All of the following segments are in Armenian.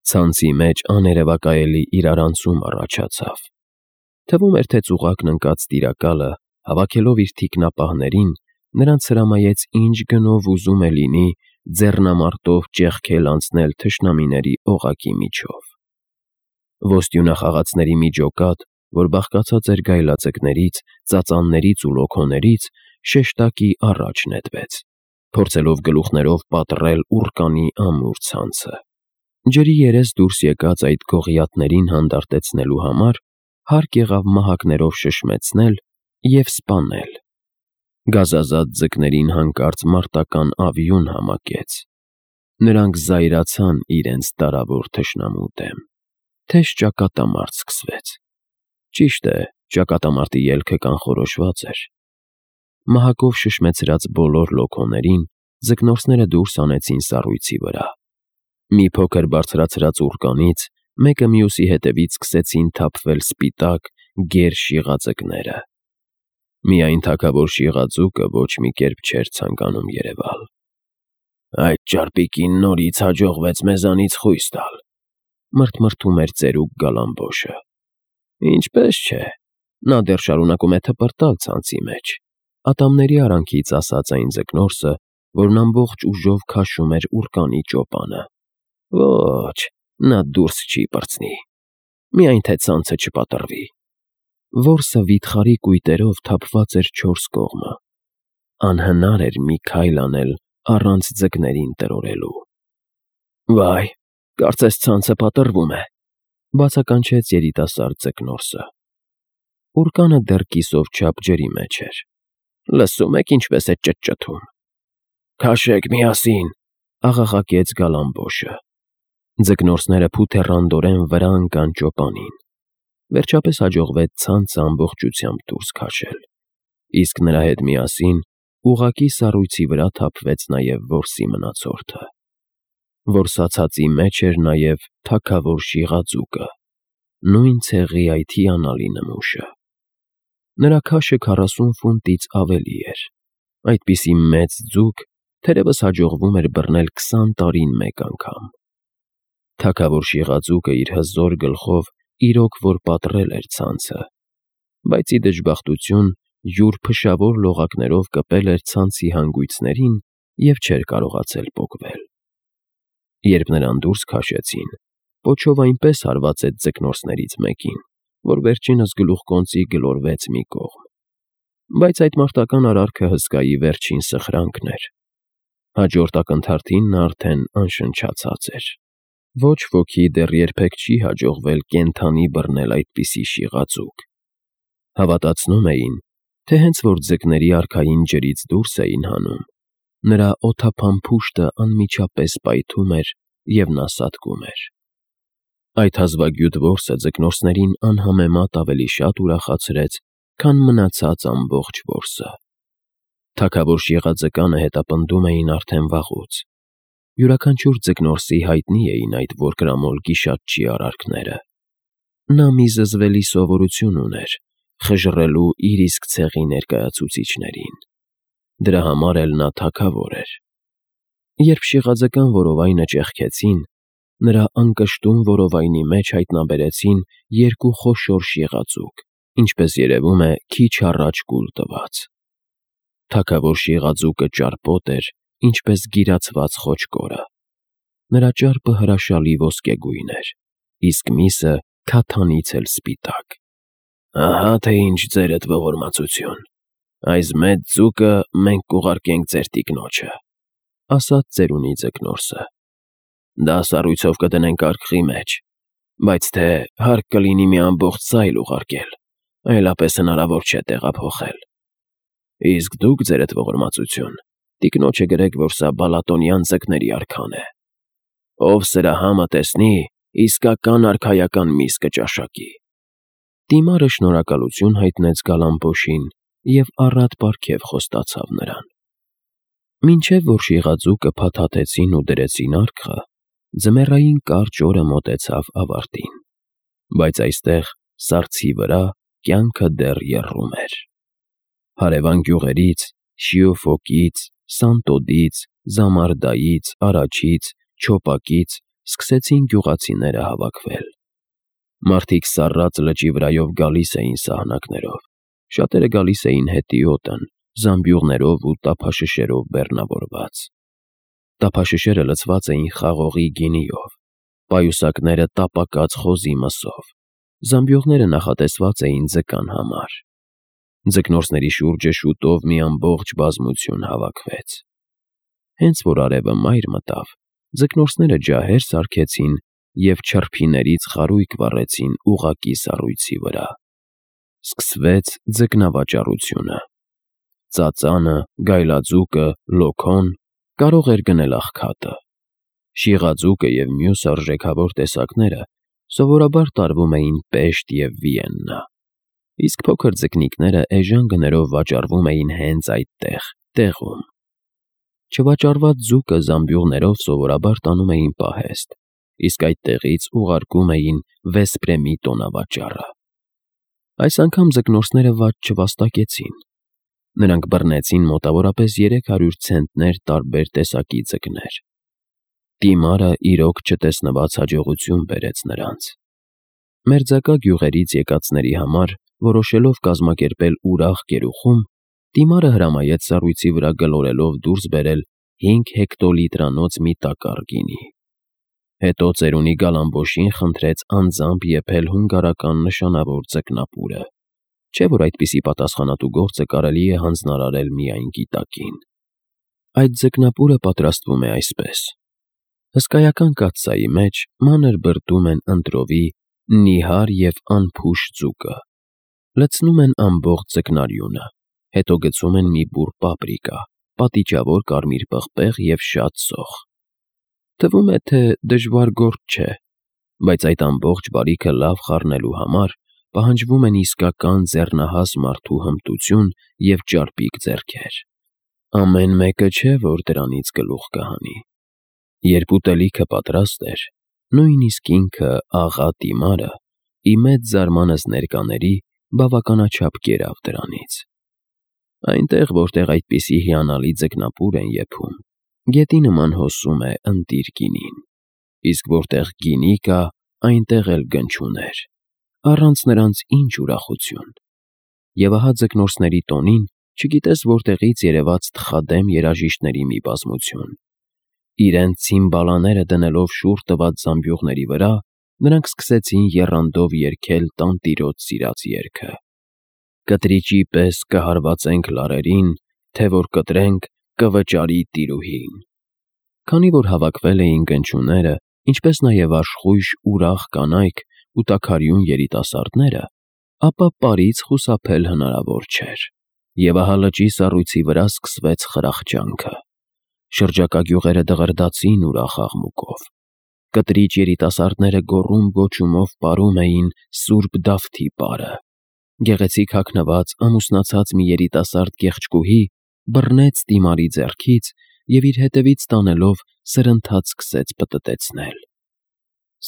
Ցանցի մեջ աներևակայելի իրարանցում առաջացավ։ Թվում էր, թե ծուղակն ընկած տիրակալը, հավաքելով իր թիկնապահներին, նրանց հրամայեց ինչ գնով ուզում է լինի ձեռնամարտով ճեղքել անցնել թշնամիների օղակի միջով։ Ոստյունախաղացների մի ջոկատ, որ բաղկացած էր գայլաձկներից, ծածաններից ու լոքոներից, շեշտակի առաջ նետվեց, փորձելով գլուխներով պատռել ուռկանի ամուր ցանցը։ Ջրի երես դուրս եկած այդ գողիաթներին հանդարտեցնելու համար հարկ եղավ մահակներով շշմեցնել և սպանել։ Գազազատ ձկներին հանկարծ մարտական ավյուն համակեց։ Նրանք զայրացան իրենց տարավոր թշնամու դեմ։ Թեժ ճակատամարտ սկսվեց։ Ճիշտ է, ճակատամարտի ելքը կանխորոշված էր։ Մահակով շշմեցրած բոլոր լոքոներին ձկնորսները դուրս հանեցին սառույցի վրա։ Մի փոքր բարձրացրած ուռկանից մեկը մյուսի հետևից սկսեցին թափվել սպիտակ, գեր շիղաձկները։ Միայն թագավոր շիղաձուկը ոչ մի կերպ չէր ցանկանում երևալ։ «Այդ ճարպիկին նորից հաջողվեց մեզանից խույս տալ», մրթմրթում էր ծերուկ Գալամբոշը։ «Ինչպես չէ, նա դեռ շարունակում է թպրտալ ցանցի մեջ», ատամների արանքից ասաց այն ձկնորսը, որն ամբողջ ուժով քաշում էր ուռկանի ճոպանը։ «Ոչ, նա դուրս չի պրծնի, միայն թե ցանցը չպատռվի»։ Որսը վիթխարի կույտերով թափված էր չորս կողմը։ Անհնար էր մի քայլ անել առանց ձկներին տրորելու։ «Վայ, կարծես ցանցը պատռվում է», բացականչեց երիտասարդ ձկնորսը։ Ուռկանը դեռ կիսով չափ ջրի մեջ էր։ «Լսում եք ինչպես է ճտճթում»։ «Քաշեք միասին», աղաղակեց Գալամբոշը։ Ձկնորսները փութեռանդորեն վրա ընկան ճոպանին։ Վերջապես հաջողվեց ցանցը ամբողջությամբ դուրս քաշել, իսկ նրա հետ միասին ուղղակի սառույցի վրա թափվեց նաև որսի մնացորդը։ Որսացածի մեջ էր նաև թագավոր շիղաձուկը, նույն ցեղի այդ հիանալի նմուշը։ Նրա քաշը 40 ֆունտից ավելի էր։ Այդպիսի մեծ ձուկ թերևս հաջողվում էր բռնել 20 տարին մեկ անգամ։ Թագավոր շիղաձուկը իր հզոր գլխով իրոք որ պատռել էր ցանցը, բայց ի դժբախտություն յուր փշավոր լողակներով կպել էր ցանցի հանգույցներին և չէր կարողացել պոկվել։ Երբ նրան դուրս քաշեցին, պոչով այնպես հարվածեց ձկնորսներից մեկին, որ վերջինս գլուխկոնծի գլորվեց մի կողմ։ Բայց այդ մարտական արարքը հսկայի վերջին սխրանքն էր։ Հաջորդ ակնթարթին նա արդեն անշնչացած էր։ Ոչ ոքի դեռ երբեք չի հաջողվել կենդանի բռնել այդպիսի շիղաձուկ։ Հավատացնում էին, թե հենց որ ձկների արքային ջրից դուրս էին հանում, նրա օդափան փուշտը անմիջապես պայթում էր և նա սատկում էր։ Այդ հազվագյուտ որսը ձկնորսներին անհամեմատ ավելի շատ ուրախացրեց, քան մնացած ամբողջ որսը։ Թագավոր շիղաձկանը հետապնդում էին արդեն վաղուց։ Յուրաքանչյուր ձկնորսի հայտնի էին այդ որկրամոլ գիշատչի արարքները։ Նա մի զզվելի սովորություն ուներ՝ խժռելու իր իսկ ցեղի ներկայացուցիչներին։ Դրա համար էլ նա թագավոր էր։ Երբ շիղաձկան որովայնը ճեղքեցին, նրա անկշտում որովայնի մեջ հայտնաբերեցին երկու խոշոր շիղաձուկ, ինչպես երևում է, քիչ առաջ կուլ տված։ Թագավոր շիղաձուկը ճարպոտ էր, ինչպես գիրացված խոչկորը։ Նրա ճարպը հրաշալի ոսկեգույն էր, իսկ միսը քաթանից էլ սպիտակ։ «Ահա թե ինչ ձերդ ողորմածություն, այս մեծ ձուկը մենք կուղարկենք ձեր տիկնոջը», ասաց ծերունի ձկնորսը։ «Դա սառույցով կդնենք արքղի մեջ, բայց թե հարկ կլինի մի ամբողջ ձայլ ուղարկել, այլապես հնարավոր չէ տեղափոխել։ Իսկ դուք, ձերդ ողորմածություն, տիկնոջը գրեք, որ սա բալատոնյան ձկների արքան է։ Ով սրա համը տեսնի, իսկական արքայական միս կճաշակի»։ Դիմարը շնորհակալություն հայտնեց Գալամբոշին և առատ պարգև խոստացավ նրան։ Մինչև որ շիղաձուկը փաթաթեցին ու դրեցին արքղը, ձմեռային կարճ օրը մոտեցավ ավարտին։ Բայց այստեղ, սառցի վրա, կյանքը դեռ եռում էր։ Հարևան գյուղերից՝ Շիոֆոկից, Սանտոդից, Զամարդայից, Արաչից, Չոպակից սկսեցին գյուղացիները հավաքվել։ Մարդիկ սառած լճի վրայով գալիս էին սահնակներով, շատերը գալիս էին հետիոտն, զամբյուղներով ու տափաշշերով բեռնավորված։ Տափաշշերը լցված էին խաղողի գինիով, պայուսակները տապակած խոզի մսով, զամբյուղները նախատեսված էին ձկան համար։ Ձկնորսների շուրջը շուտով մի ամբողջ բազմություն հավաքվեց։ Հենց որ արևը մայր մտավ, ձկնորսները ջահեր սարքեցին և չրփիներից խարույկ վառեցին ուղղակի սառույցի վրա։ Սկսվեց ձկնավաճառությունը։ Ծածանը, գայլաձուկը, լոքոն կարող էր գնել աղքատը։ Շիղաձուկը և մյուս արժեքավոր տեսակները սովորաբար տարվում էին Պեշտ և Վիեննա, իսկ փոքր ձկնիկները էժան գներով վաճառվում էին հենց այդտեղ, տեղում։ Չվաճառված ձուկը զամբյուղներով սովորաբար տանում էին պահեստ, իսկ այդտեղից ուղարկում էին Վեսպրեմի տոնավաճառը։ Այս անգամ ձկնորսները վատ չվաստակեցին։ Նրանք բռնեցին մոտավորապես 300 ցենտներ տարբեր տեսակի ձկներ։ Տիմարը իրոք չտեսնված հաջողություն բերեց նրանց։ Մերձակա գյուղերից եկածների համար, որոշելով կազմակերպել ուրախ գերուխում, Տիմարը հրամայեց սառույցի վրա գլորելով դուրս բերել 5 հեկտոլիտրանոց մի տակառ գինի։ Հետո ծերունի Գալամբոշին խնդրեց անձամբ եփել հունգարական նշանավոր ձկնապուրը, չէ՞ որ այդպիսի պատասխանատու գործը կարելի է հանձնարարել միայն գիտակին։ Այդ ձկնապուրը պատրաստվում է այսպես. հսկայական կաթսայի մեջ մանր բրդում են ընտրովի, նիհար և անփուշ ձուկը, լցնում են ամբողջ ձկնարյունը, հետո գցում են մի բուռ պապրիկա, պատիճավոր կարմիր պղպեղ և շատ սոխ։ Թվում է, թե դժվար գործ չէ, բայց այդ ամբողջ բարիքը լավ խառնելու համար պահանջվում են իսկական ձեռնահաս մարդու հմտություն և ճարպիկ ձեռքեր։ Ամեն մեկը չէ, որ դրանից գլուխ կհանի։ Երբ ուտելիքը պատրաստ էր, նույնիսկ ինքը աղա Տիմարը, ի մեծ զարմանս ներկաների, բավականաչափ կերավ դրանից։ Այնտեղ, որտեղ այդպիսի հիանալի ձկնապուր են եփում, գետի նման հոսում է ընտիր գինին, իսկ որտեղ գինի կա, այնտեղ էլ գնչուներ, առանց նրանց ինչ ուրախություն։ Եվ ահա ձկնորսների տոնին չգիտես որտեղից երևաց թխադեմ երաժիշտների մի բազմություն։ Իրենց ցիմբալաները դնելով շուռ տված զամբյուղների վրա, նրանք սկսեցին եռանդով երգել տանտիրոջ սիրած երգը. Կտրիճի պես կհարվածենք լարերին, թե որ կտրենք կվճարի տիրուհին։ Քանի որ հավաքվել էին գնչուները, ինչպես նաև աշխույժ ուրախ կանայք ու տաքարյուն երիտասարդները, ապա պարից խուսափել հնարավոր չէր։ Եվ ահա լճի սառույցի վրա սկսվեց խրախճանքը։ Շրջակա գյուղերը դղրդացին ուրախ աղմուկով։ Կտրիճ երիտասարդները գոռում-գոչումով պարում էին Սուրբ Դավթի պարը։ Գեղեցիկ հագնված, ամուսնացած մի երիտասարդ կեղճկուհի բռնեց Տիմարի ձեռքից և իր հետևից տանելով սրընթաց սկսեց պտտեցնել։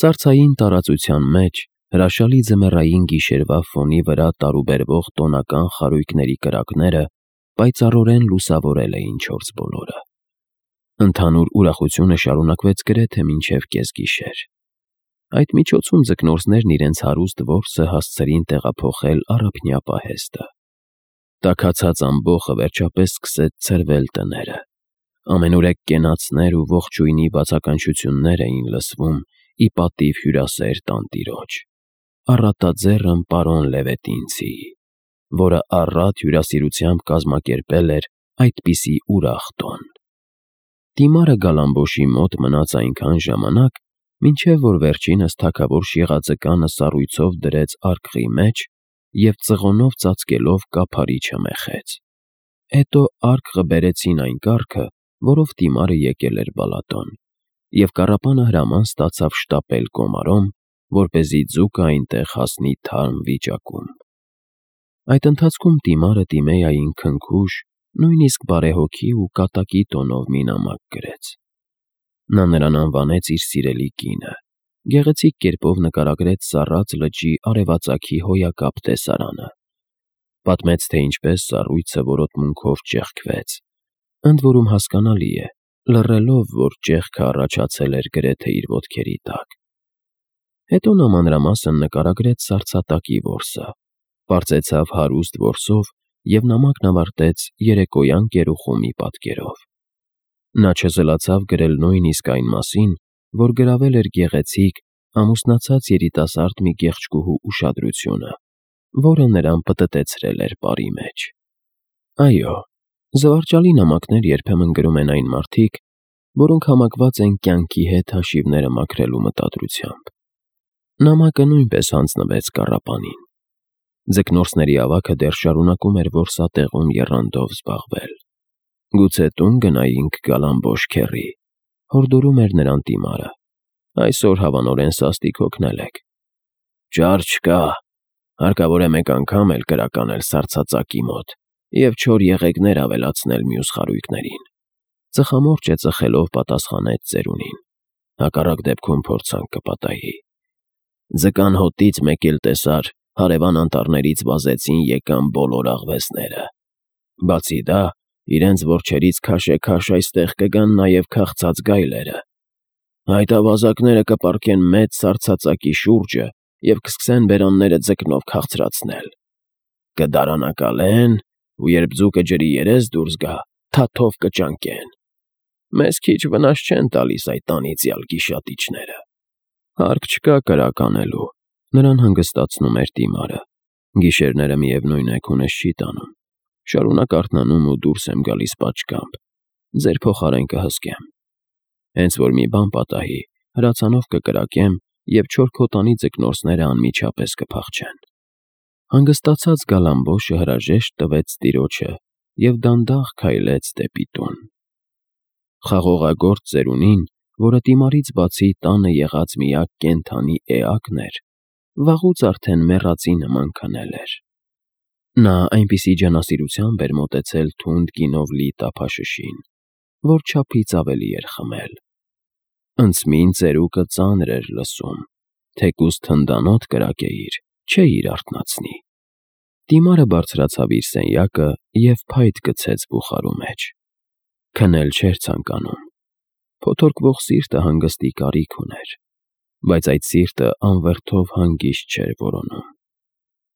Սառցային տարածության մեջ, հրաշալի ձմեռային գիշերվա ֆոնի վրա տարուբերվող տոնական խարույկների կրակները պայծառորեն լուսավորել էին չորսբոլորը։ Ընդհանուր ուրախությունը շարունակվեց գրեթե մինչև կեսգիշեր։ Այդ միջոցում ձկնորսներն իրենց հարուստ որսը հասցրին տեղափոխել առափնյա պահեստը։ Տաքացած ամբոխը վերջապես սկսեց ցրվել տները։ Ամենուրեք կենացներ ու ողջույնի բացականչություններ էին լսվում ի պատիվ հյուրասեր տանտիրոջ, առատաձեռն պարոն Լևետինցիի, որը առատ հյուրասիրությամբ կազմակերպել էր այդպիսի ուրախ տոն։ Տիմարը Գալամբոշի մոտ մնաց այնքան ժամանակ, մինչև որ վերջինս թագավոր շիղաձկանը սառույցով դրեց արկղի մեջ և ծղոնով ծածկելով կափարիչը մեխեց։ Հետո արկղը բերեցին այն կառքը, որով Տիմարը եկել էր Բալատոն, և կառապանը հրաման ստացավ շտապել Կոմարոմ, որպեսզի ձուկը այնտեղ հասնի թարմ վիճակում։ Այդ ընթացքում Տիմարը Տիմեային քնքուշ, նույնիսկ բարեհոգի ու կատակի տոնով մի նամակ գրեց։ Նա նրան անվանեց իր սիրելի կինը, գեղեցիկ կերպով նկարագրեց սառած լճի արևածագի հոյակապ տեսարանը։ Պատմեց, թե ինչպես սառույցը որոտմունքով ճեղքվեց, ընդ որում հասկանալի է, լռելով, որ ճեղքը առաջացել էր գրեթե իր ոտքերի տակ։ Հետո նա մանրամասն նկարագրեց սառցատակի որսը, պարզեցավ հարուստ որսով և նամակն ավարտեց երեկոյան կերուխումի պատկերով։ Նա չզլացավ գրել նույնիսկ այն մասին, որ գրավել էր գեղեցիկ, ամուսնացած երիտասարդ մի կեղճկուհու ուշադրությունը, որը նրան պտտեցրել էր պարի մեջ։ Այո, զվարճալի նամակներ երբեմն գրում են այն մարդիկ, որոնք համակված են կյանքի հետ հաշիվները մաքրելու մտադրությամբ։ Նամակը նույնպես հանձնվեց կառապանին։ Ձկնորսների ավագը դեռ շարունակում էր որսատեղում եռանդով զբաղվել։ Գուցե տուն գնայինք Գալամբոշ քեռի, հորդորում էր նրան Տիմարը։ Այսօր հավանորեն սաստիկ հոգնել եք։ Ճար չկա, հարկավոր է մեկ անգամ էլ կրականել սառցածակի մոտ և չոր եղեգներ ավելացնել մյուս խարույկներին։ Ծխամորճը ծխելով պատասխանեց ծերունին։ Հակառակ դեպքում փորձանք կպատահի։ Ձկան հոտից մեկ էլ տեսար, հարևան անտառներից վազեցին եկան բոլոր աղվեսները։ Բացի դա, իրենց որջերից քաշեքաշ այստեղ կգան նաև քաղցած գայլերը։ Այդ ավազակները կպառկեն մեծ սառցածակի շուրջը և կսկսեն բերանները ձկնով քաղցրացնել։ Կդարանակալեն ու երբ ձուկը ջրի երես դուրս գա, թաթով կճանկեն։ Մեզ քիչ վնաս չեն տալիս այդ անիծյալ գիշատիչները։ Հարկ չկա կրականելու, նրան հանգստացնում էր Տիմարը։ Գիշերները միևնույն է քունես չի տանում։ Շարունակ արթնանում ու դուրս եմ գալիս պատշգամբ։ Ձեր փոխարեն կհսկեմ։ Հենց որ մի բան պատահի, հրացանով կկրակեմ և չոր քոտանի ձկնորսները անմիջապես կփախչեն։ Հանգստացած Գալամբոշը հրաժեշտ տվեց տիրոջը և դանդաղ քայլեց դեպի տուն։ Խաղողագործ ծերունին, որը Տիմարից բացի տանը եղած միակ կենդանի էակն էր, վաղուց արդեն մեռածի նման քնել էր։ Նա այնպիսի ջանասիրությամբ էր մոտեցել թունդ գինով լի տափաշշին, որ չափից ավելի էր խմել։ Ընծմին ծերուկը ծանր էր լսում, թեկուզ թնդանոթ կրակեիր, չէիր արթնացնի։ Տիմարը բարձրացավ իր սենյակը և փայտ գցեց բուխարու մեջ։ Քնել չէր ցանկանում։ Փոթորկվող սիրտը հանգստի կարիք ուներ, բայց այդ սիրտը անվերթով հանգիստ չէր որոնում։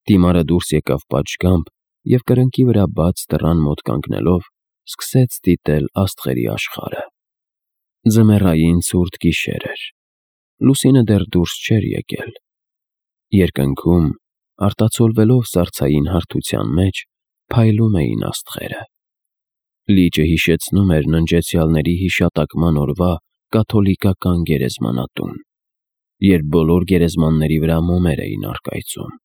Տիմարը դուրս եկավ պատշգամբ և կրկնակի վրա բաց դռան մոտ կանգնելով սկսեց դիտել աստղերի աշխարհը։ Ձմեռային ցուրտ գիշեր էր։ Լուսինը դեռ դուրս չէր եկել։ Երկնքում, արտացոլվելով սառցային հարթության մեջ, փայլում էին աստղերը։ Լիճը հիշեցնում էր ննջեցյալների հիշատակման օրվա կաթոլիկական գերեզմանատուն, երբ բոլոր գերեզմանների վրա մոմեր էին առկայծում։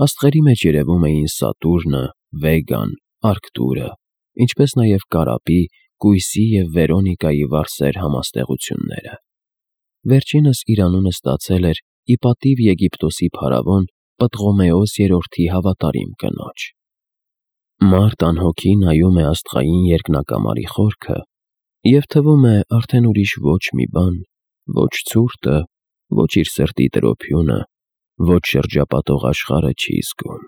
Աստղերի մեջ երևում էին Սատուրնը, Վեգան, Արկտուրը, ինչպես նաև Կարապի, Կույսի և Վերոնիկայի վարսեր համաստեղությունները։ Վերջինս իր անունը ստացել էր ի պատիվ Եգիպտոսի փարավոն Պտղոմեոս III-ի հավատարիմ կնոջ։ Մարդ անհոգի նայում է աստղային երկնակամարի խորքը և թվում է արդեն ուրիշ ոչ մի բան, ոչ ցուրտը, ոչ իր սրտի տրոփյունը, ոչ շրջապատող աշխարհը չի զգում։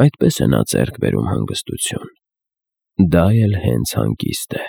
Այդպես է նա ձեռք բերում հանգստություն։ Դա էլ հենց հանգիստ է։